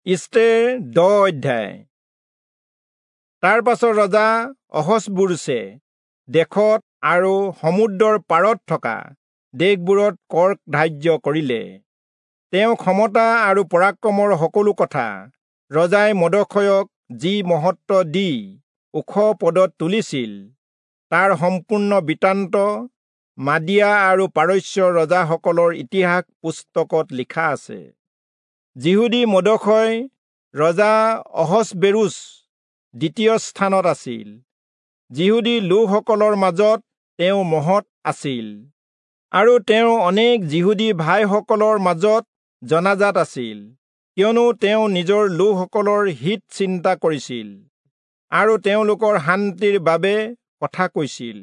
ইষ্টেৰ 10 অধ্যায়। তাৰ পাছত ৰজা অহচ্বেৰোচে দেশত আৰু সমুদ্ৰৰ পাৰত থকা দেশবোৰত কৰ ধাৰ্য কৰিলে। তেওঁ ক্ষমতা আৰু পৰাক্ৰমৰ সকলো কথা, ৰজাই মৰ্দখয়ক যি মহত্ব দি ওখ পদত তুলিছিল, তাৰ সম্পূৰ্ণ বৃত্তান্ত মাদিয়া আৰু পাৰস্যৰ ৰজাসকলৰ ইতিহাস পুস্তকত লিখা আছে। যিহুদী মৰ্দখয় ৰজা অহচ্বেৰোচ দ্বিতীয় স্থানত আছিল। যিহুদী লোকসকলৰ মাজত তেওঁ মহৎ আছিল আৰু তেওঁ অনেক যিহুদী ভাইসকলৰ মাজত জনাজাত আছিল, কিয়নো তেওঁ নিজৰ লোকসকলৰ হিত চিন্তা কৰিছিল আৰু তেওঁলোকৰ শান্তিৰ বাবে কথা কৈছিল।